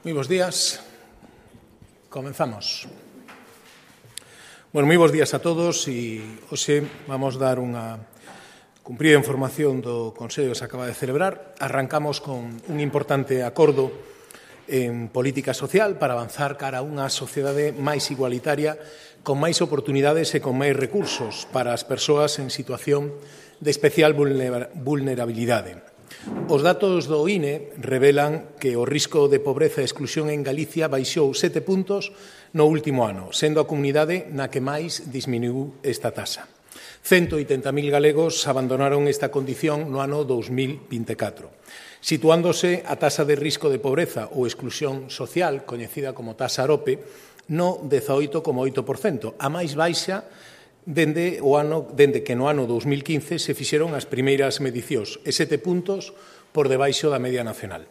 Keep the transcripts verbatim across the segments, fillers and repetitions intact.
Moi bons días. Comenzamos. Bueno, moi bons días a todos e hoxe vamos dar unha cumprida información do Consello que se acaba de celebrar. Arrancamos con un importante acordo en política social para avanzar cara a unha sociedade máis igualitaria, con máis oportunidades e con máis recursos para as persoas en situación de especial vulnerabilidade. Os datos do I N E revelan que o risco de pobreza e exclusión en Galicia baixou sete puntos no último ano, sendo a comunidade na que máis disminuiu esta taxa. cento oitenta mil galegos abandonaron esta condición no ano dous mil vinte e catro, situándose a taxa de risco de pobreza ou exclusión social, coñecida como taxa AROPE, no dezaoito coma oito por cento, a máis baixa dende o ano dende que no ano dous mil quince se fixeron as primeiras medicións e sete puntos por debaixo da media nacional.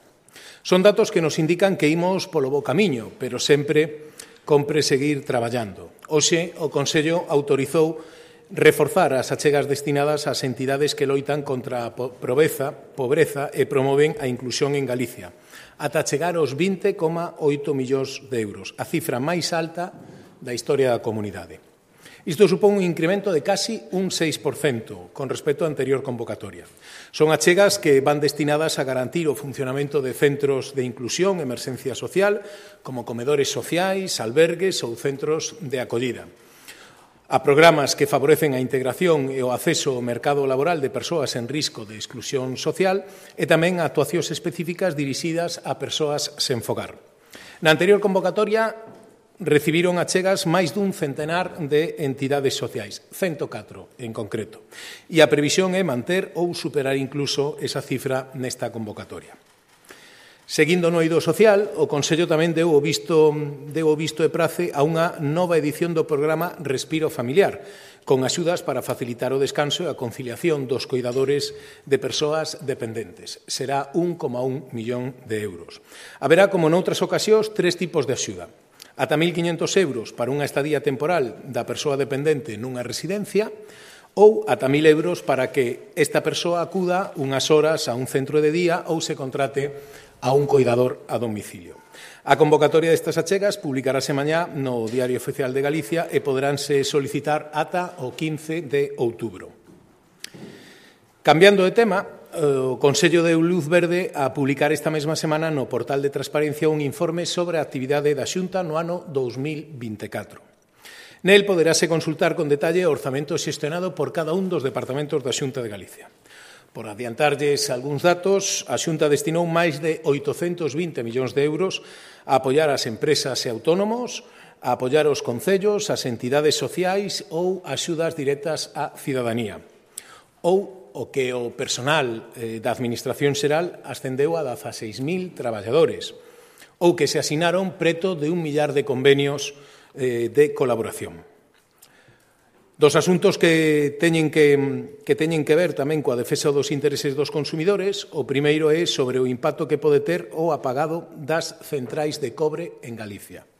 Son datos que nos indican que imos polo bo camiño, pero sempre compre seguir traballando. Hoxe o Consello autorizou reforzar as achegas destinadas ás entidades que loitan contra a pobreza, pobreza e promoven a inclusión en Galicia, ata chegar aos vinte coma oito millóns de euros, a cifra máis alta da historia da comunidade. Isto supón un incremento de casi un seis por cento con respecto á anterior convocatoria. Son achegas que van destinadas a garantir o funcionamento de centros de inclusión e emerxencia social, como comedores sociais, albergues ou centros de acollida, a programas que favorecen a integración e o acceso ao mercado laboral de persoas en risco de exclusión social e tamén a actuacións específicas dirixidas a persoas sen fogar. Na anterior convocatoria recibiron achegas máis dun centenar de entidades sociais, cento catro en concreto, e a previsión é manter ou superar incluso esa cifra nesta convocatoria. Seguindo no eido social, o Consello tamén deu o visto, deu o visto e prace a unha nova edición do programa Respiro Familiar, con axudas para facilitar o descanso e a conciliación dos coidadores de persoas dependentes. Será un coma un millón de euros. Haberá, como noutras ocasións, tres tipos de axuda. Ata mil quiñentos euros para unha estadía temporal da persoa dependente nunha residencia ou ata mil euros para que esta persoa acuda unhas horas a un centro de día ou se contrate a un coidador a domicilio. A convocatoria destas achegas publicarase mañá no Diario Oficial de Galicia e poderánse solicitar ata o quince de outubro. Cambiando de tema, o Consello deu luz verde a publicar esta mesma semana no portal de transparencia un informe sobre a actividade da Xunta no ano dous mil vinte e catro. Nel poderase consultar con detalle o orzamento xestionado por cada un dos departamentos da Xunta de Galicia. Por adiantarlles algúns datos, a Xunta destinou máis de oitocentos vinte millóns de euros a apoiar as empresas e autónomos, a apoiar os concellos, as entidades sociais ou axudas directas á cidadanía. Ou o que o personal eh, da Administración Xeral ascendeu a dezaseis mil traballadores, ou que se asinaron preto de un millar de convenios eh, de colaboración. Dos asuntos que teñen que, que teñen que ver tamén coa defensa dos intereses dos consumidores, o primeiro é sobre o impacto que pode ter o apagado das centrais de cobre en Galicia.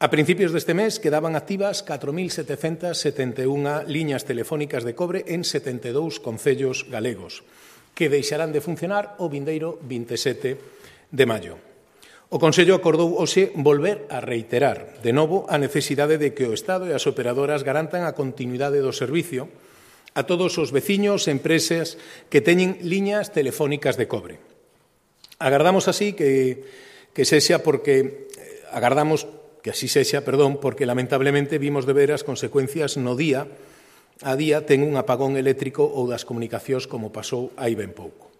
A principios deste mes quedaban activas catro mil setecentas setenta e unha liñas telefónicas de cobre en setenta e dous concellos galegos, que deixarán de funcionar o vindeiro vinte e sete de maio. O Consello acordou hoxe volver a reiterar, de novo, a necesidade de que o Estado e as operadoras garantan a continuidade do servicio a todos os veciños e empresas que teñen liñas telefónicas de cobre. Agardamos así que, que sexa porque agardamos que así sexa, perdón, porque lamentablemente vimos de ver as consecuencias no día a día ten un apagón eléctrico ou das comunicacións como pasou hai ben pouco.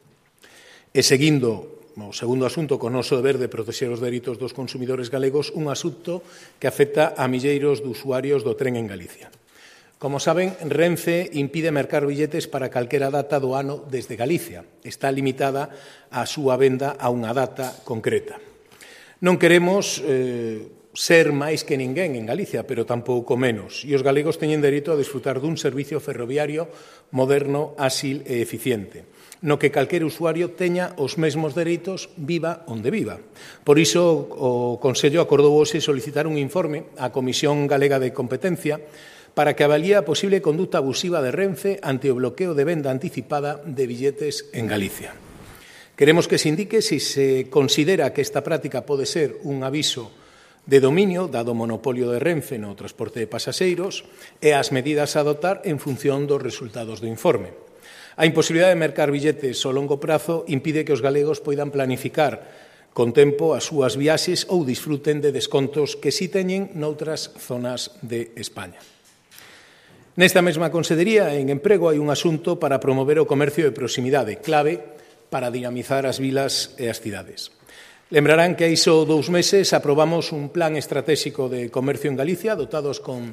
E seguindo o segundo asunto con o noso deber de protexer os dereitos dos consumidores galegos, un asunto que afecta a milleiros de usuarios do tren en Galicia. Como saben, Renfe impide mercar billetes para calquera data do ano desde Galicia. Está limitada a súa venda a unha data concreta. Non queremos eh, ser máis que ninguén en Galicia, pero tampouco menos. E os galegos teñen dereito a desfrutar dun servicio ferroviario moderno, áxil e eficiente, no que calquer usuario teña os mesmos dereitos viva onde viva. Por iso, o Consello acordou hoxe solicitar un informe á Comisión Galega de Competencia para que avalíe a posible conduta abusiva de Renfe ante o bloqueo de venda anticipada de billetes en Galicia. Queremos que se indique se se considera que esta práctica pode ser un aviso de dominio, dado o monopolio de Renfe no transporte de pasaxeiros, e as medidas a adoptar en función dos resultados do informe. A imposibilidade de mercar billetes ao longo prazo impide que os galegos poidan planificar con tempo as súas viaxes ou disfruten de descontos que si teñen noutras zonas de España. Nesta mesma Consellería, en Emprego, hai un asunto para promover o comercio de proximidade, clave para dinamizar as vilas e as cidades. Lembrarán que hai só dous meses aprobamos un plan estratégico de comercio en Galicia, dotados con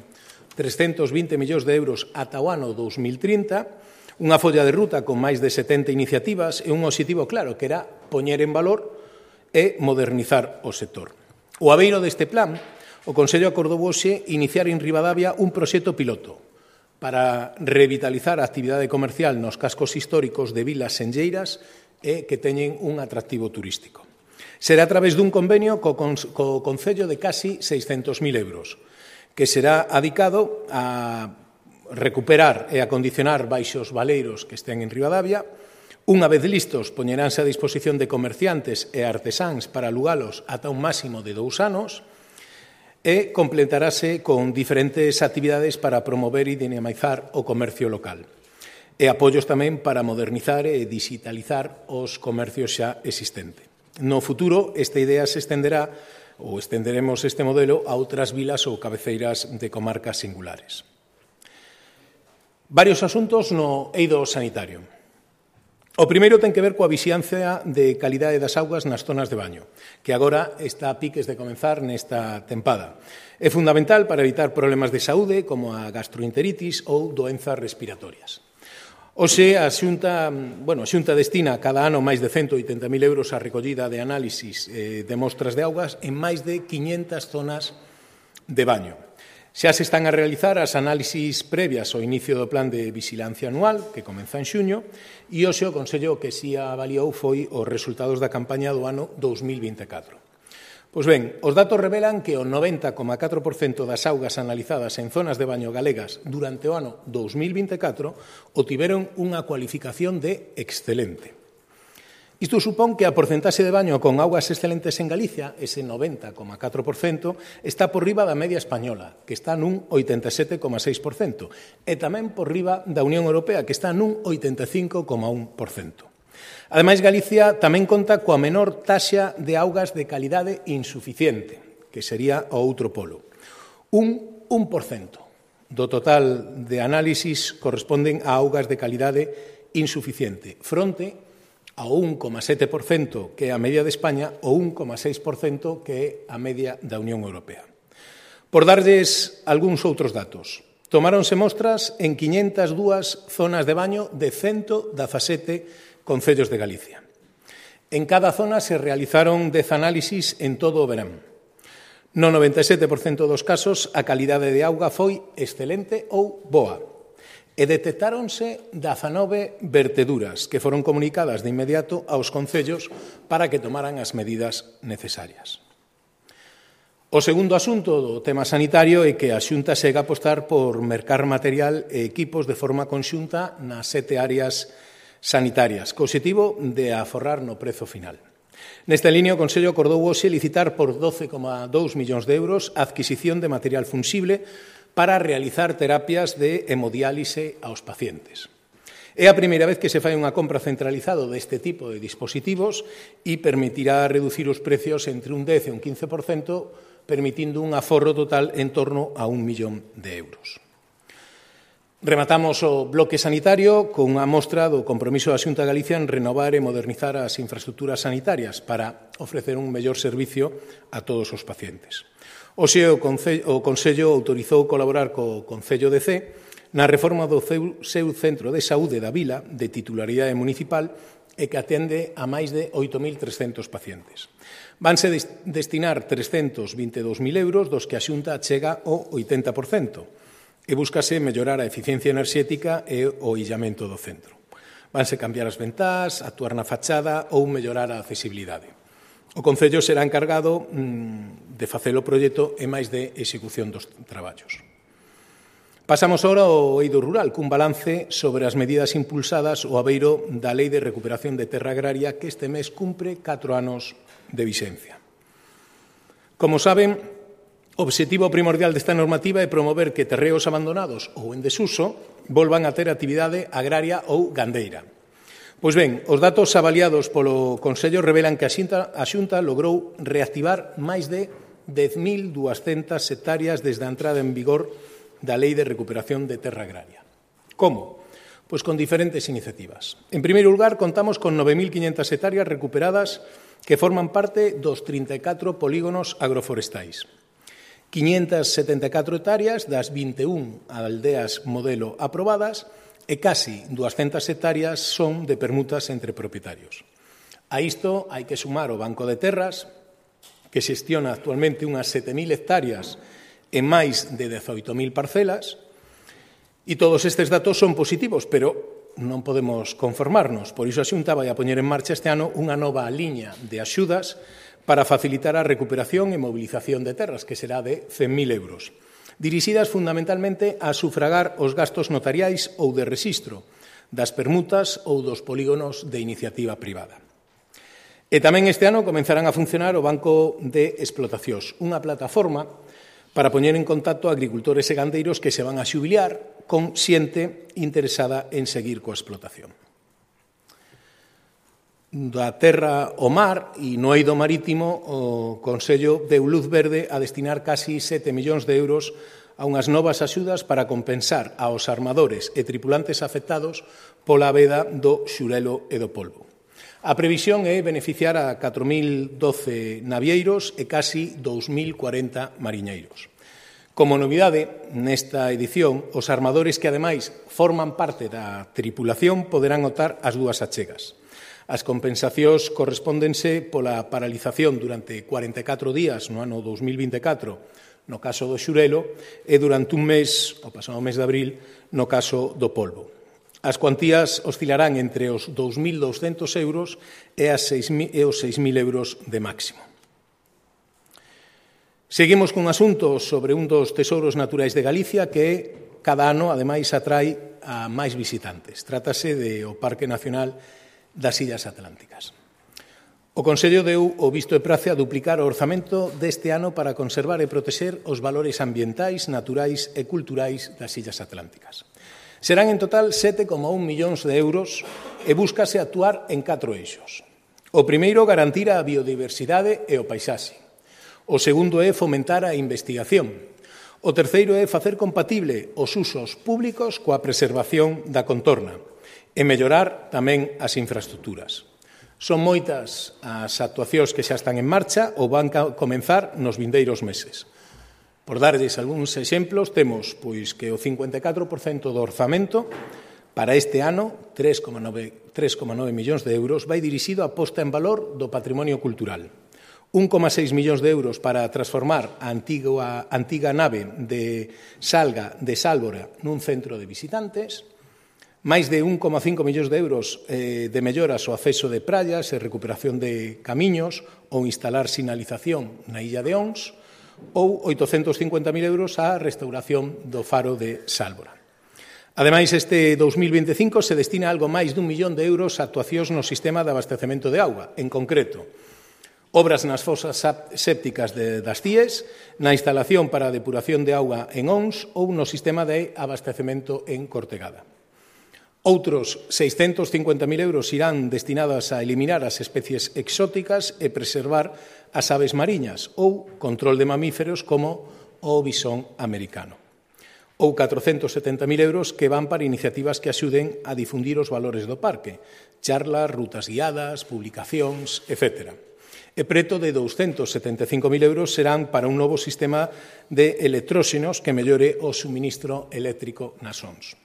trescentos vinte millóns de euros ata o ano dous mil trinta, unha folla de ruta con máis de setenta iniciativas e un obxectivo claro, que era poñer en valor e modernizar o sector. O abeiro deste plan, o Consello acordou hoxe iniciar en Ribadavia un proxecto piloto para revitalizar a actividade comercial nos cascos históricos de vilas senlleiras e que teñen un atractivo turístico. Será a través dun convenio co, co Concello de casi seiscentos mil euros, que será adicado a recuperar e acondicionar baixos valeiros que estén en Ribadavia. Unha vez listos, poñeránse a disposición de comerciantes e artesáns para alugalos ata un máximo de dous anos e completarase con diferentes actividades para promover e dinamizar o comercio local e apoios tamén para modernizar e digitalizar os comercios xa existentes. No futuro, esta idea se estenderá ou estenderemos este modelo a outras vilas ou cabeceiras de comarcas singulares. Varios asuntos no eido sanitario. O primeiro ten que ver coa vixiancia de calidade das augas nas zonas de baño, que agora está a piques de comenzar nesta tempada. É fundamental para evitar problemas de saúde como a gastroenteritis ou doenzas respiratorias. Oxe, a Xunta, bueno, a Xunta destina cada ano máis de cento oitenta mil euros á recollida de análisis eh, de mostras de augas en máis de quinhentas zonas de baño. Xa se están a realizar as análisis previas ao inicio do plan de vigilancia anual, que comeza en xuño, e hoxe o Consello que si avaliou foi os resultados da campaña do ano dous mil vinte e catro. Pois ben, os datos revelan que o noventa coma catro por cento das augas analizadas en zonas de baño galegas durante o ano dous mil vinte e catro obtiveron unha cualificación de excelente. Isto supón que a porcentaxe de baño con augas excelentes en Galicia, ese noventa coma catro por cento, está por riba da media española, que está nun oitenta e sete coma seis por cento, e tamén por riba da Unión Europea, que está nun oitenta e cinco coma un por cento. Ademais, Galicia tamén conta coa menor taxa de augas de calidade insuficiente, que sería o outro polo. Un un por cento do total de análisis corresponden a augas de calidade insuficiente, fronte ao un coma sete por cento que é a media de España ou un coma seis por cento que é a media da Unión Europea. Por darlles algúns outros datos, tomáronse mostras en quinhentas dúas zonas de baño de ciento dezasete concellos de Galicia. En cada zona se realizaron dez análisis en todo o verán. No noventa e sete por cento dos casos, a calidade de auga foi excelente ou boa. E detectáronse dezanove verteduras que foron comunicadas de inmediato aos concellos para que tomaran as medidas necesarias. O segundo asunto do tema sanitario é que a Xunta segue a apostar por mercar material e equipos de forma conxunta nas sete áreas sanitarias, co obxectivo de aforrar no prezo final. Nesta línea, o Consello acordou hoxe licitar por doce coma dous millóns de euros a adquisición de material funxible para realizar terapias de hemodiálise aos pacientes. É a primeira vez que se fai unha compra centralizada deste tipo de dispositivos e permitirá reducir os precios entre un dez e un quince por cento, permitindo un aforro total en torno a un millón de euros. Rematamos o bloque sanitario con unha mostra do compromiso da Xunta de Galicia en renovar e modernizar as infraestructuras sanitarias para ofrecer un mellor servicio a todos os pacientes. Hoxe o Consello autorizou colaborar co Concello de Cee na reforma do seu centro de saúde da vila de titularidade municipal e que atende a máis de oito mil trescentos pacientes. Vanse destinar trescentos vinte e dous mil euros, dos que a Xunta chega ao oitenta por cento. E búscase mellorar a eficiencia enerxética e o illamento do centro. Vanse cambiar as ventás, actuar na fachada ou mellorar a accesibilidade. O Concello será encargado mmm, de facer o proxecto e máis de execución dos traballos. Pasamos ahora ao eido rural, cun balance sobre as medidas impulsadas ao abeiro da Lei de Recuperación de Terra Agraria que este mes cumpre catro anos de vixencia. Como saben, o obxectivo primordial desta normativa é promover que terreos abandonados ou en desuso volvan a ter actividade agraria ou gandeira. Pois ben, os datos avaliados polo Consello revelan que a Xunta, a Xunta logrou reactivar máis de dez mil duascentas hectáreas desde a entrada en vigor da Lei de Recuperación de Terra Agraria. Como? Pois con diferentes iniciativas. En primeiro lugar, contamos con nove mil quinhentas hectáreas recuperadas que forman parte dos trinta e catro polígonos agroforestais. quinhentas setenta e catro hectáreas das vinte e un aldeas modelo aprobadas e casi duascentas hectáreas son de permutas entre propietarios. A isto hai que sumar o Banco de Terras, que xestiona actualmente unhas sete mil hectáreas en máis de dezoito mil parcelas, e todos estes datos son positivos, pero non podemos conformarnos. Por iso a Xunta vai a poñer en marcha este ano unha nova liña de axudas para facilitar a recuperación e mobilización de terras, que será de cen mil euros, dirixidas fundamentalmente a sufragar os gastos notariais ou de rexistro das permutas ou dos polígonos de iniciativa privada. E tamén este ano comenzarán a funcionar o Banco de Explotacións, unha plataforma para poñer en contacto a agricultores e gandeiros que se van a xubilar con xente interesada en seguir coa explotación. Da terra ao mar e no eido marítimo, o Consello deu luz verde a destinar casi sete millóns de euros a unhas novas axudas para compensar aos armadores e tripulantes afectados pola veda do xurelo e do polvo. A previsión é beneficiar a catro mil doce navieiros e casi dous mil cuarenta mariñeiros. Como novidade, nesta edición, os armadores que, ademais, forman parte da tripulación poderán optar as dúas achegas. As compensacións correspóndense pola paralización durante cuarenta e catro días no ano dos mil vinte e catro, no caso do xurelo, e durante un mes, o pasado mes de abril, no caso do polvo. As cuantías oscilarán entre os dous mil douscentos euros e os seis mil euros de máximo. Seguimos cun asunto sobre un dos tesouros naturais de Galicia que cada ano, ademais, atrai a máis visitantes. Trátase do Parque Nacional das Illas Atlánticas. O Consello deu o visto e prace a duplicar o orzamento deste ano para conservar e protexer os valores ambientais, naturais e culturais das Illas Atlánticas. Serán en total sete coma un millóns de euros e búscase actuar en catro eixos. O primeiro, garantir a biodiversidade e o paisaxe. O segundo é fomentar a investigación. O terceiro é facer compatible os usos públicos coa preservación da contorna e mellorar tamén as infraestructuras. Son moitas as actuacións que xa están en marcha ou van a comenzar nos vindeiros meses. Por darlles algúns exemplos, temos pois que o cincuenta e catro por cento do orzamento para este ano, tres coma nove millóns de euros, vai dirixido á posta en valor do patrimonio cultural. un coma seis millóns de euros para transformar a antiga, antiga nave de Salga de Sálvora nun centro de visitantes, máis de un coma cinco millóns de euros eh, de melloras ao acceso de praias e recuperación de camiños ou instalar sinalización na illa de Ons, ou oitocentos cincuenta mil euros á restauración do faro de Sálvora. Ademais, este dous mil vinte e cinco se destina algo máis dun millón de euros a actuacións no sistema de abastecemento de auga, en concreto, obras nas fosas sépticas de, das C I E S, na instalación para a depuración de auga en Ons ou no sistema de abastecemento en Cortegada. Outros seiscentos cincuenta mil euros irán destinados a eliminar as especies exóticas e preservar as aves mariñas ou control de mamíferos como o bisón americano. Ou catrocentos setenta mil euros que van para iniciativas que axuden a difundir os valores do parque, charlas, rutas guiadas, publicacións, etcétera. E preto de douscentos setenta e cinco mil euros serán para un novo sistema de electróxenos que mellore o suministro eléctrico nas O N S.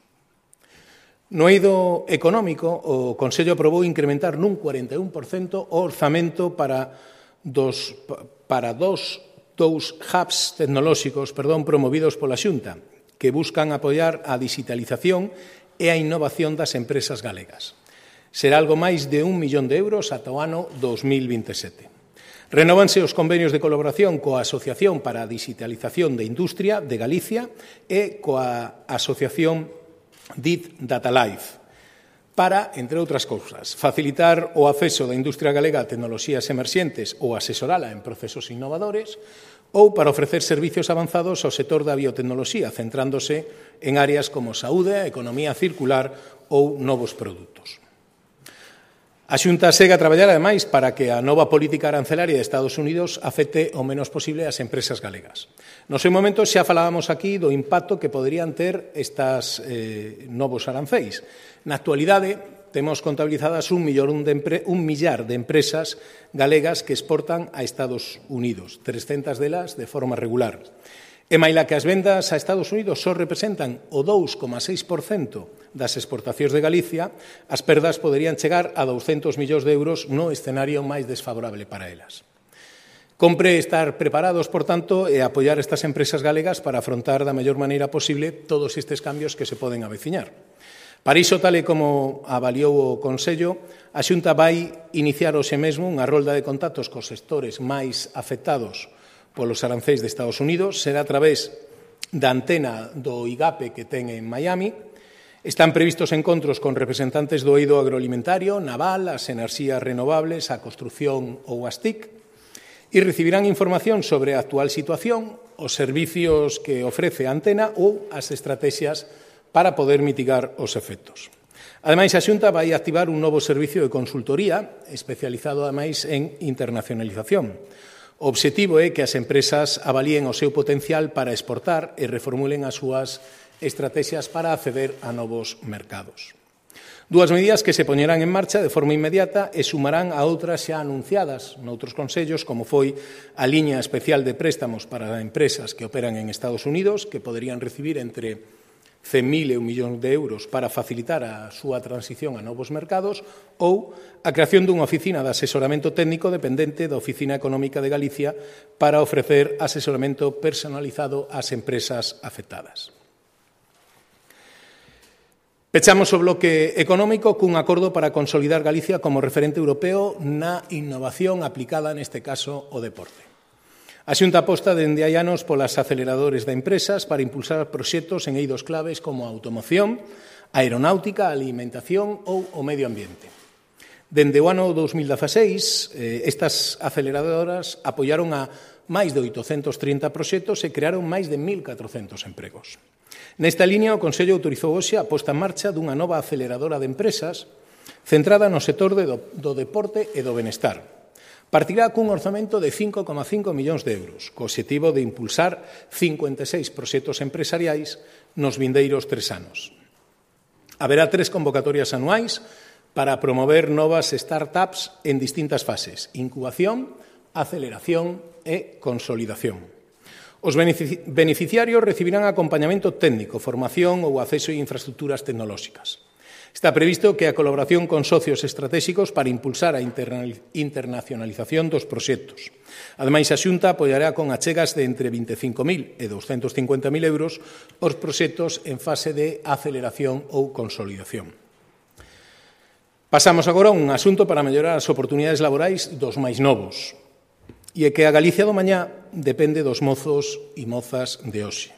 No eido económico, o Consello aprobou incrementar nun cuarenta e un por cento o orzamento para dos, para dos, dous hubs tecnolóxicos perdón, promovidos pola Xunta, que buscan apoiar a digitalización e a innovación das empresas galegas. Será algo máis de un millón de euros ata o ano dos mil vinte e sete. Renóvanse os convenios de colaboración coa Asociación para a Digitalización de Industria de Galicia e coa Asociación D I T Data Life para, entre outras cousas, facilitar o acceso da industria galega a tecnoloxías emerxentes ou asesorala en procesos innovadores, ou para ofrecer servicios avanzados ao sector da biotecnoloxía, centrándose en áreas como saúde, economía circular ou novos produtos. A Xunta segue a traballar, ademais, para que a nova política arancelaria de Estados Unidos afecte o menos posible as empresas galegas. No seu momento xa falábamos aquí do impacto que poderían ter estas eh, novos aranceis. Na actualidade, temos contabilizadas un, millón de empre... un millar de empresas galegas que exportan a Estados Unidos, trescentas delas de forma regular. E maila que as vendas a Estados Unidos só representan o dous coma seis por cento das exportacións de Galicia, as perdas poderían chegar a douscentos millóns de euros no escenario máis desfavorable para elas. Compre estar preparados, por tanto, e apoiar estas empresas galegas para afrontar da mellor maneira posible todos estes cambios que se poden aveciñar. Para iso, tal e como avaliou o Consello, a Xunta vai iniciar hoxe mesmo unha rolda de contactos cos sectores máis afectados polos aranceis de Estados Unidos, será a través da antena do IGAPE que ten en Miami. Están previstos encontros con representantes do eido agroalimentario, naval, as enerxías renovables, a construción ou as T I C, e recibirán información sobre a actual situación, os servicios que ofrece a antena ou as estrategias para poder mitigar os efectos. Ademais, a Xunta vai activar un novo servicio de consultoría especializado, ademais, en internacionalización. O obxectivo é que as empresas avalíen o seu potencial para exportar e reformulen as súas estrategias para acceder a novos mercados. Dúas medidas que se poñerán en marcha de forma inmediata e sumarán a outras xa anunciadas noutros consellos, como foi a liña especial de préstamos para empresas que operan en Estados Unidos, que poderían recibir entre cen mil e un millón de euros para facilitar a súa transición a novos mercados, ou a creación dunha oficina de asesoramento técnico dependente da Oficina Económica de Galicia para ofrecer asesoramento personalizado ás empresas afectadas. Pechamos o bloque económico cun acordo para consolidar Galicia como referente europeo na innovación aplicada, neste caso, ao deporte. A Xunta aposta dende hai anos polas aceleradores de empresas para impulsar proxectos en eidos claves como a automoción, a aeronáutica, a alimentación ou o medio ambiente. Dende o ano dos mil dezaseis, estas aceleradoras apoiaron a máis de oitocentos trinta proxectos e crearon máis de mil catrocentos empregos. Nesta línea, o Consello autorizou hoxe a posta en marcha dunha nova aceleradora de empresas centrada no sector do deporte e do benestar. Partirá cun orzamento de cinco coma cinco millóns de euros, co obxectivo de impulsar cincuenta e seis proxectos empresariais nos vindeiros tres anos. Haberá tres convocatorias anuais para promover novas startups en distintas fases: incubación, aceleración e consolidación. Os beneficiarios recibirán acompañamento técnico, formación ou acceso a infraestructuras tecnolóxicas. Está previsto que a colaboración con socios estratégicos para impulsar a internacionalización dos proxectos. Ademais, a Xunta apoiará con achegas de entre vinte e cinco mil e douscentos cincuenta mil euros os proxectos en fase de aceleración ou consolidación. Pasamos agora a un asunto para mellorar as oportunidades laborais dos máis novos. E é que a Galicia do mañá depende dos mozos e mozas de hoxe.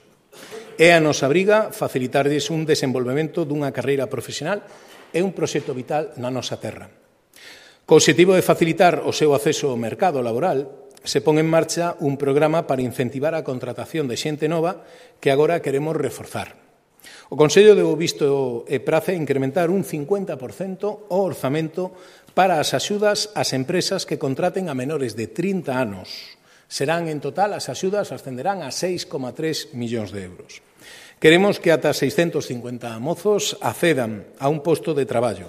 É a nosa briga facilitarlles un desenvolvemento dunha carreira profesional e un proxecto vital na nosa terra. Co obxectivo de facilitar o seu acceso ao mercado laboral, se pon en marcha un programa para incentivar a contratación de xente nova que agora queremos reforzar. O Consello deu visto e prace incrementar un cincuenta por cento o orzamento para as axudas ás empresas que contraten a menores de trinta anos. Serán, en total, as axudas ascenderán a seis coma tres millóns de euros. Queremos que ata seiscentos cincuenta mozos accedan a un posto de traballo.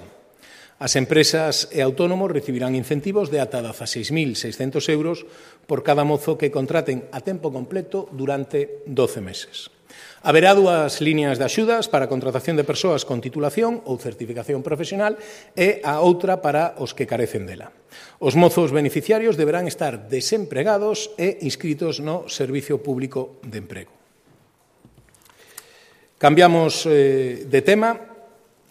As empresas e autónomos recibirán incentivos de ata dezaseis mil seiscentos euros por cada mozo que contraten a tempo completo durante doce meses. Haberá dúas líneas de axudas para a contratación de persoas con titulación ou certificación profesional e a outra para os que carecen dela. Os mozos beneficiarios deberán estar desempregados e inscritos no Servicio Público de Emprego. Cambiamos eh, de tema.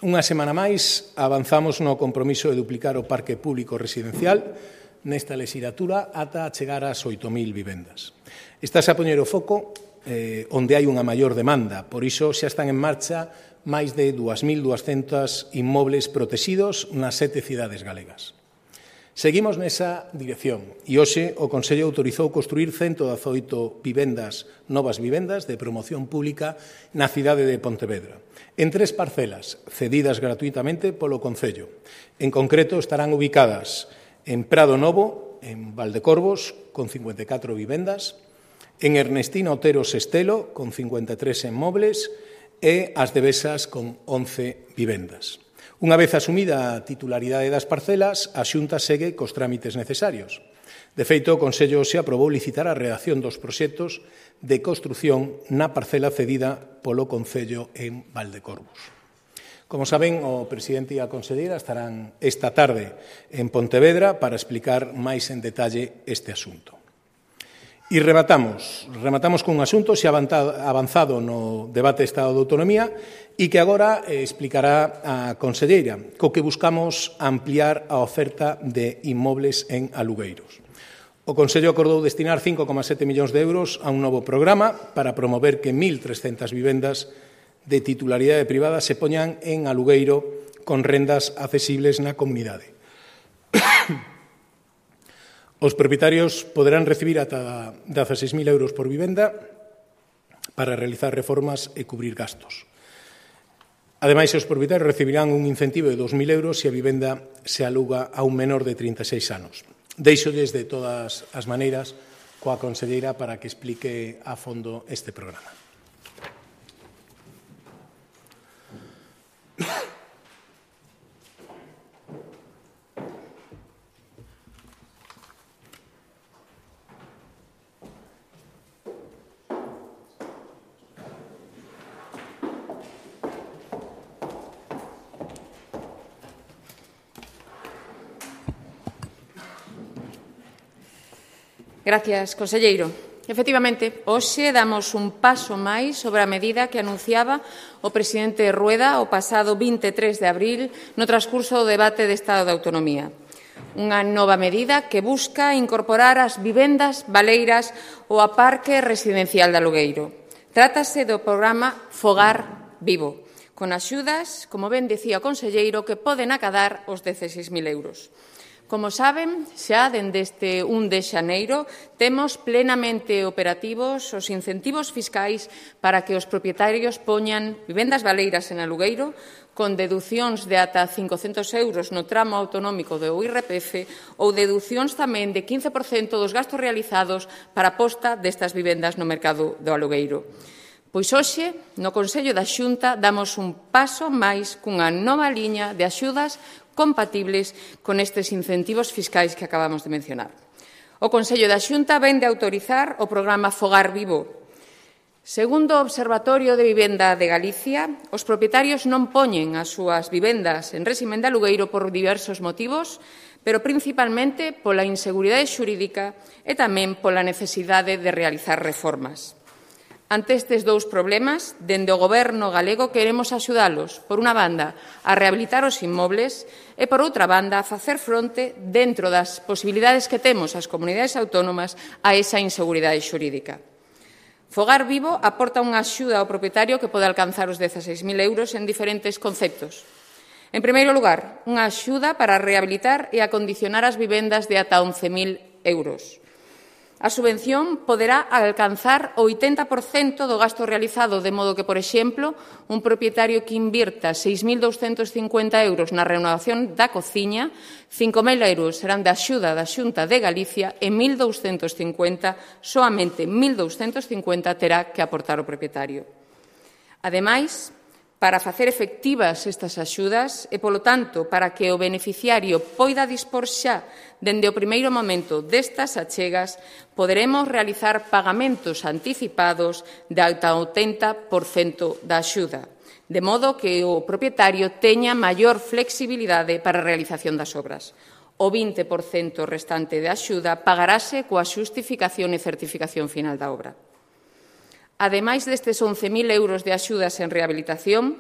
Unha semana máis avanzamos no compromiso de duplicar o parque público residencial nesta legislatura ata chegar ás oito mil vivendas. Estás a poñer o foco eh, onde hai unha maior demanda, por iso xa están en marcha máis de dúas mil duascentos inmobles protegidos nas sete cidades galegas. Seguimos nesa dirección e hoxe o Consello autorizou construir ciento dezaoito vivendas, novas vivendas de promoción pública na cidade de Pontevedra, en tres parcelas cedidas gratuitamente polo Concello. En concreto estarán ubicadas en Prado Novo, en Valdecorvos, con cincuenta e catro vivendas, en Ernestino Otero Sestelo, con cincuenta e tres inmobles, e as de Besas, con once vivendas. Unha vez asumida a titularidade das parcelas, a Xunta segue cos trámites necesarios. De feito, o Consello se aprobou licitar a redacción dos proxectos de construción na parcela cedida polo Concello en Valdecorvos. Como saben, o presidente e a conselleira estarán esta tarde en Pontevedra para explicar máis en detalle este asunto. E rematamos, rematamos cun asunto xa avanzado no debate de Estado de Autonomía e que agora explicará a conselleira, co que buscamos ampliar a oferta de inmobles en alugueiros. O Consello acordou destinar cinco coma sete millóns de euros a un novo programa para promover que mil trescentas vivendas de titularidade privada se poñan en alugueiro con rendas accesibles na comunidade. Os propietarios poderán recibir ata dezaseis mil euros por vivenda para realizar reformas e cubrir gastos. Ademais, os propietarios recibirán un incentivo de dos mil euros se a vivenda se aluga a un menor de trinta e seis anos. Deixolles de todas as maneiras coa conselleira para que explique a fondo este programa. Gracias, conselleiro. Efectivamente, hoxe damos un paso máis sobre a medida que anunciaba o presidente Rueda o pasado vinte e tres de abril no transcurso do debate de Estado de Autonomía. Unha nova medida que busca incorporar as vivendas baleiras ao parque residencial de alugueiro. Trátase do programa Fogar Vivo, con axudas, como ben dicía o conselleiro, que poden acadar os dezaseis mil euros. Como saben, xa dende este un de xaneiro temos plenamente operativos os incentivos fiscais para que os propietarios poñan vivendas baleiras en alugueiro con deducións de ata cincocentos euros no tramo autonómico do I R P F ou deducións tamén de quince por cento dos gastos realizados para a posta destas vivendas no mercado do alugueiro. Pois hoxe, no Consello da Xunta, damos un paso máis cunha nova liña de axudas compatibles con estes incentivos fiscais que acabamos de mencionar. O Consello da Xunta vén de autorizar o programa Fogar Vivo. Segundo o Observatorio de Vivenda de Galicia, os propietarios non poñen as súas vivendas en réximen de alugueiro por diversos motivos, pero principalmente pola inseguridade xurídica e tamén pola necesidade de realizar reformas. Ante estes dous problemas, dende o Goberno galego queremos axudalos, por unha banda, a rehabilitar os inmobles e, por outra banda, a facer fronte, dentro das posibilidades que temos as comunidades autónomas, a esa inseguridade xurídica. Fogar Vivo aporta unha axuda ao propietario que pode alcanzar os dezaseis mil euros en diferentes conceptos. En primeiro lugar, unha axuda para rehabilitar e acondicionar as vivendas de ata once mil euros. A subvención poderá alcanzar o oitenta por cento do gasto realizado, de modo que, por exemplo, un propietario que invirta seis mil douscentos cincuenta euros na renovación da cociña, cinco mil euros serán de axuda da Xunta de Galicia e mil douscentos cincuenta, soamente mil douscentos cincuenta terá que aportar o propietario. Ademais, para facer efectivas estas axudas e, polo tanto, para que o beneficiario poida dispor xa dende o primeiro momento destas achegas, poderemos realizar pagamentos anticipados de ata o oitenta por cento da axuda, de modo que o propietario teña maior flexibilidade para a realización das obras. O vinte por cento restante de axuda pagarase coa xustificación e certificación final da obra. Ademais destes once mil euros de axudas en rehabilitación,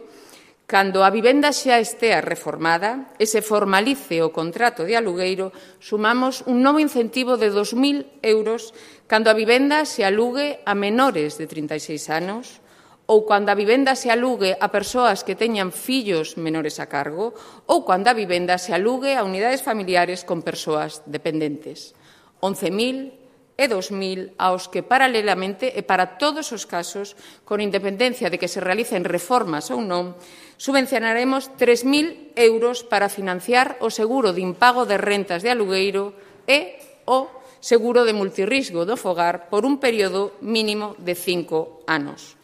Cando a vivenda xa estea reformada e se formalice o contrato de alugueiro, sumamos un novo incentivo de dos mil euros cando a vivenda se alugue a menores de trinta e seis anos ou cando a vivenda se alugue a persoas que teñan fillos menores a cargo ou cando a vivenda se alugue a unidades familiares con persoas dependentes. once mil e dos mil aos que paralelamente e para todos os casos, con independencia de que se realicen reformas ou non, subvencionaremos tres mil euros para financiar o seguro de impago de rentas de alugueiro e o seguro de multirrisgo do fogar por un período mínimo de cinco anos.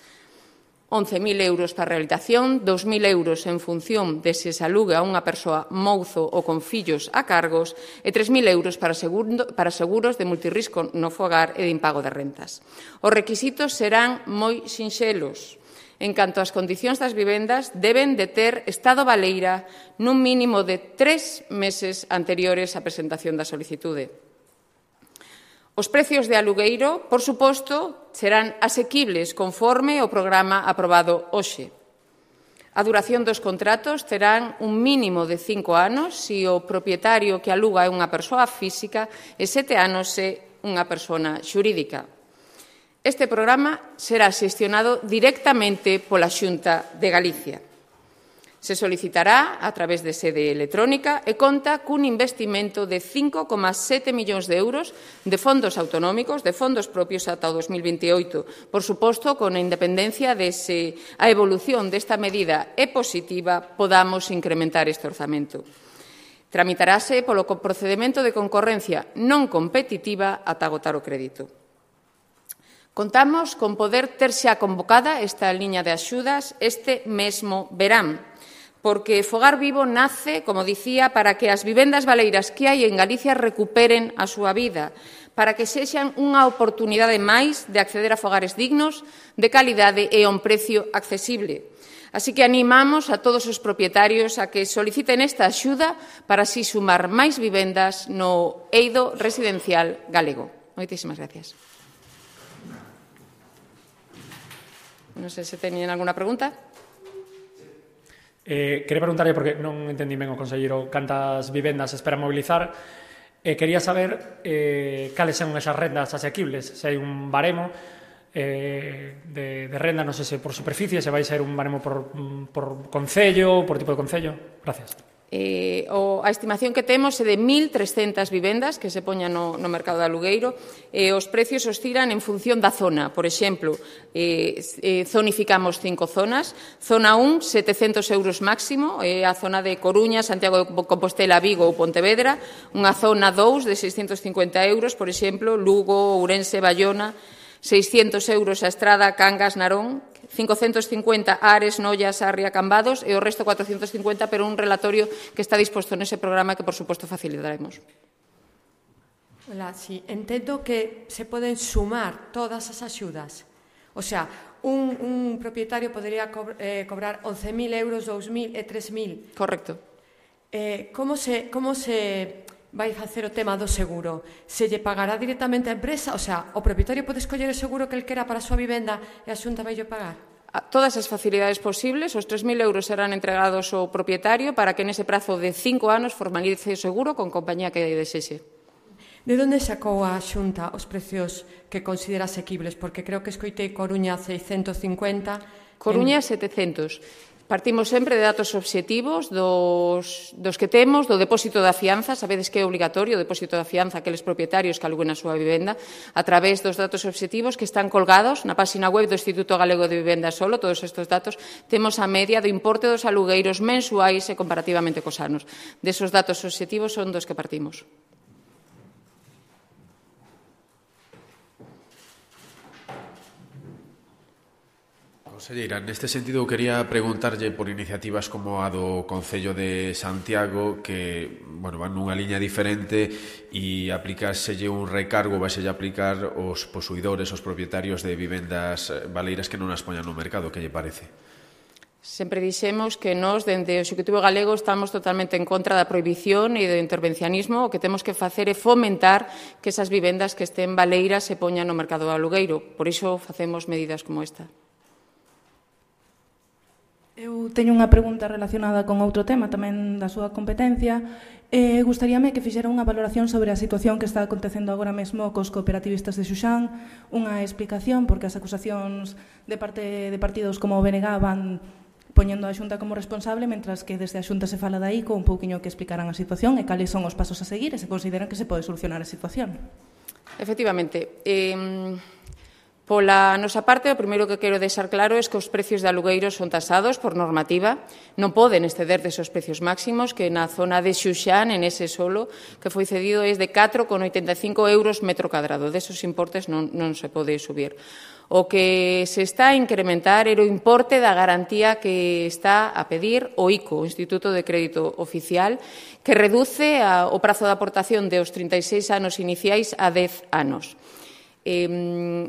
once mil euros para a rehabilitación, dos mil euros en función de se se aluga a unha persoa mouzo ou con fillos a cargos e tres mil euros para, seguro, para seguros de multirrisco no fogar e de impago de rentas. Os requisitos serán moi sinxelos. En canto ás condicións das vivendas, deben de ter estado baleira nun mínimo de tres meses anteriores á presentación da solicitude. Os precios de alugueiro, por suposto, serán asequibles conforme o programa aprobado hoxe. A duración dos contratos terán un mínimo de cinco anos se o propietario que aluga é unha persoa física e sete anos se unha persona xurídica. Este programa será xestionado directamente pola Xunta de Galicia. Se solicitará a través de sede electrónica e conta cun investimento de cinco coma sete millóns de euros de fondos autonómicos, de fondos propios ata o dos mil veintioito. Por suposto, con a independencia de se a evolución desta medida é positiva, podamos incrementar este orzamento. Tramitarase polo procedemento de concorrencia non competitiva ata agotar o crédito. Contamos con poder ter xa convocada esta liña de axudas este mesmo verán, porque Fogar Vivo nace, como dicía, para que as vivendas baleiras que hai en Galicia recuperen a súa vida, para que sexan unha oportunidade máis de acceder a fogares dignos, de calidade e a un precio accesible. Así que animamos a todos os propietarios a que soliciten esta axuda para así sumar máis vivendas no eido residencial galego. Moitísimas gracias. Non sei se teñen alguna pregunta. Eh, quería preguntarlle, porque non entendí ben o conselleiro, cantas vivendas espera mobilizar. Eh, quería saber eh, cales son esas rendas asequibles, se hai un baremo eh, de, de renda, non sei se por superficie, se vai ser un baremo por, por concello, por tipo de concello. Gracias. Eh, o, a estimación que temos é de mil trescentas vivendas que se poñan no, no mercado de alugueiro e eh, os precios oscilan en función da zona. Por exemplo, eh, eh, zonificamos cinco zonas. Zona un, setecentos euros máximo, é eh, a zona de Coruña, Santiago de Compostela, Vigo ou Pontevedra. Unha zona dous de seiscentos cincuenta euros, por exemplo, Lugo, Ourense, Bayona. seiscentos euros a Estrada, Cangas, Narón. cincocentos cincuenta Ares, Noia, Sarria, Cambados e o resto cuatrocentos cincuenta, pero un relatorio que está disposto nese programa que, por suposto, facilitaremos. Hola, sí, entendo que se poden sumar todas as axudas. O sea, un, un propietario podería co eh, cobrar once mil euros, dous mil e tres mil. Correcto. Eh, como se... Como se vai facer o tema do seguro? Se lle pagará directamente a empresa? O sea, o propietario pode escoller o seguro que el quera para a súa vivenda e a Xunta vai lle pagar? Todas as facilidades posibles, os tres mil euros serán entregados ao propietario para que nese prazo de cinco anos formalice o seguro con compañía que desexe. De onde sacou a Xunta os precios que considera asequibles? Porque creo que escoitei Coruña seiscentos cincuenta... Coruña setecentos. Partimos sempre de datos obxectivos dos, dos que temos, do depósito da fianza. Sabedes que é obligatorio o depósito da fianza aqueles propietarios que aluguen a súa vivenda a través dos datos obxectivos que están colgados na página web do Instituto Galego de Vivenda Solo. Todos estes datos temos a media do importe dos alugueiros mensuais e comparativamente cos anos. Desos datos obxectivos son dos que partimos. Conselleira, neste sentido quería preguntarlle por iniciativas como a do Concello de Santiago que, bueno, van nunha liña diferente e aplicáselle un recargo, vaiselle aplicar os posuidores, os propietarios de vivendas baleiras que non as poñan no mercado. Que lle parece? Sempre dixemos que nós, dende o Executivo Galego, estamos totalmente en contra da prohibición e do intervencionismo. O que temos que facer é fomentar que esas vivendas que estén baleiras se poñan no mercado do alugueiro. Por iso facemos medidas como esta. Eu teño unha pregunta relacionada con outro tema tamén da súa competencia. Eh, gustaríame que fixera unha valoración sobre a situación que está acontecendo agora mesmo cos cooperativistas de Xuxán, unha explicación, porque as acusacións de parte de partidos como o B N G van poñendo a Xunta como responsable, mentras que desde a Xunta se fala da I C O un pouquiño que explicaran a situación e cales son os pasos a seguir e se consideran que se pode solucionar a situación. Efectivamente. Eh, Pola nosa parte, o primeiro que quero deixar claro é que os precios de alugueiros son tasados por normativa, non poden exceder desos precios máximos que na zona de Xuxán, en ese solo, que foi cedido é de catro con oitenta e cinco euros metro cadrado. Desos importes non, non se pode subir. O que se está a incrementar é o importe da garantía que está a pedir o I C O, o Instituto de Crédito Oficial, que reduce a, o prazo de aportación de os trinta e seis anos iniciais a dez anos. Eh,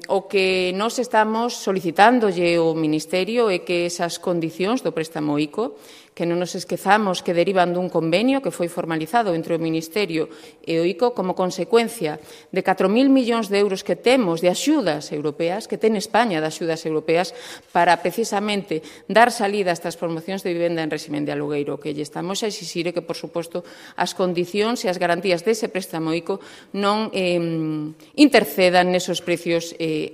o que nós estamos solicitándolle ao Ministerio é que esas condicións do préstamo I C O, que non nos esquezamos que derivan dun convenio que foi formalizado entre o Ministerio e o I C O como consecuencia de catro mil millóns de euros que temos de axudas europeas, que ten España de axudas europeas para precisamente dar salida a estas promocións de vivenda en régimen de alugueiro. O que lle estamos a exixir é que, por suposto, as condicións e as garantías dese préstamo I C O non eh, intercedan nesos precios eh,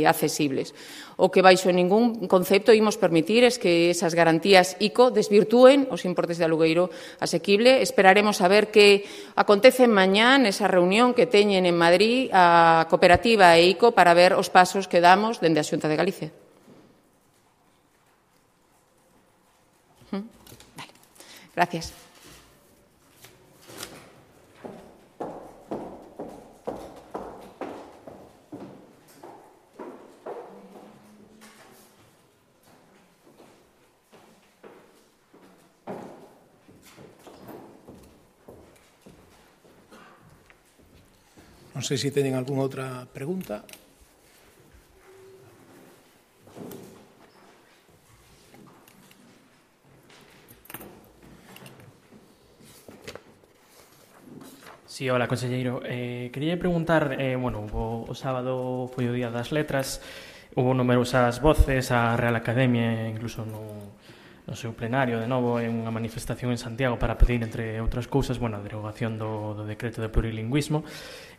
accesibles. O que baixo ningún concepto imos permitir é que esas garantías I C O desvirtúen os importes de alugueiro asequible. Esperaremos a ver que acontece mañá nesa reunión que teñen en Madrid a cooperativa e I C O para ver os pasos que damos dende a Xunta de Galicia. Vale. Gracias. Non sei se teñen algunha outra pregunta. Sí, hola, conselleiro. Eh, quería preguntar, eh, bueno, o, o sábado foi o Día das Letras, hubo numerosas voces, a Real Academia, incluso no, no seu plenario, de novo, en unha manifestación en Santiago para pedir, entre outras cousas, bueno, a derogación do, do decreto de plurilingüismo.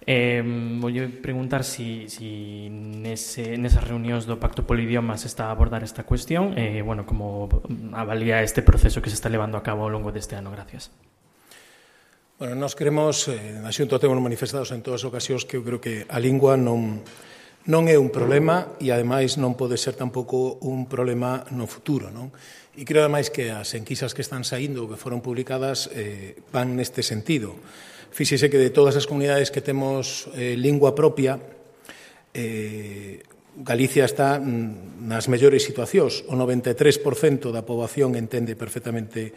Eh, voulle preguntar si, si nese, nesas reunións do Pacto Polidioma se está a abordar esta cuestión e, eh, bueno, como avalía este proceso que se está levando a cabo ao longo deste ano. Gracias. Bueno, nós queremos, eh, na Xunta temos manifestados en todas as ocasións que eu creo que a lingua non, non é un problema e, ademais, non pode ser tampouco un problema no futuro, non? E creo, ademais, que as enquisas que están saindo, que foron publicadas, eh, van neste sentido. Fíxese que de todas as comunidades que temos eh, lingua propia, eh, Galicia está nas mellores situacións. O noventa e tres por cento da poboación entende perfectamente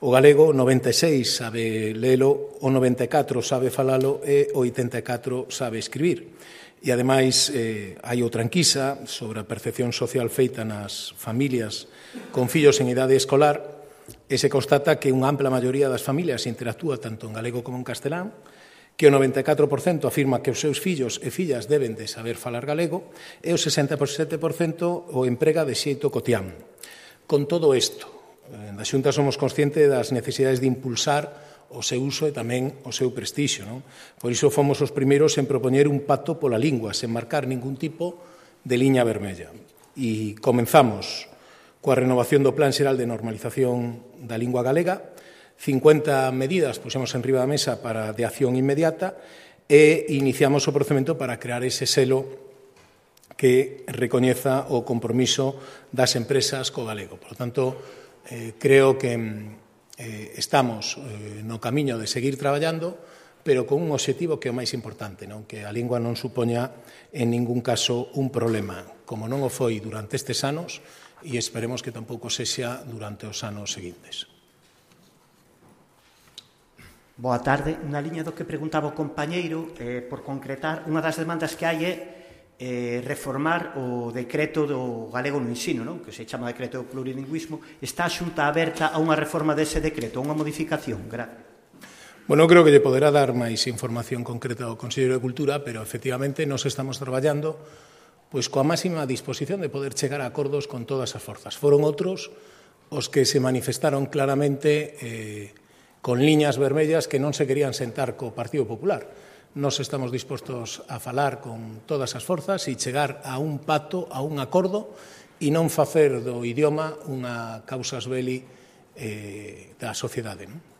o galego, o noventa e seis por cento sabe lelo, o noventa e catro por cento sabe falalo e o oitenta e catro por cento sabe escribir. E, ademais, eh, hai outra enquisa sobre a percepción social feita nas familias con fillos en idade escolar, e se constata que unha ampla maioría das familias interactúa tanto en galego como en castelán, que o noventa e catro por cento afirma que os seus fillos e fillas deben de saber falar galego e o sesenta e sete por cento o emprega de xeito cotián. Con todo isto, na Xunta somos conscientes das necesidades de impulsar o seu uso e tamén o seu prestixio, non? Por iso fomos os primeiros en propoñer un pacto pola lingua, sen marcar ningún tipo de liña vermella. E comenzamos coa renovación do Plan Xeral de Normalización da Lingua Galega, cincuenta medidas pusemos en riba da mesa para de acción inmediata e iniciamos o procedimento para crear ese selo que recoñeza o compromiso das empresas co galego. Por lo tanto, eh, creo que eh, estamos eh, no camiño de seguir traballando, pero con un obxectivo que é o máis importante, non? Que a lingua non supoña en ningún caso un problema, como non o foi durante estes anos, e esperemos que tampouco sexa durante os anos seguintes. Boa tarde. Na liña do que preguntaba o compañeiro, eh, por concretar, unha das demandas que hai é eh, reformar o decreto do galego no ensino, non? Que se chama decreto do plurilingüismo. Está a Xunta aberta a unha reforma dese decreto, a unha modificación? Gracias. Bueno, creo que lle poderá dar máis información concreta ao Conselleiro de Cultura, pero, efectivamente, nos estamos traballando pois coa máxima disposición de poder chegar a acordos con todas as forzas. Foron outros os que se manifestaron claramente eh, con liñas vermellas que non se querían sentar co Partido Popular. Nos estamos dispostos a falar con todas as forzas e chegar a un pacto, a un acordo, e non facer do idioma unha causas belli eh, da sociedade, non?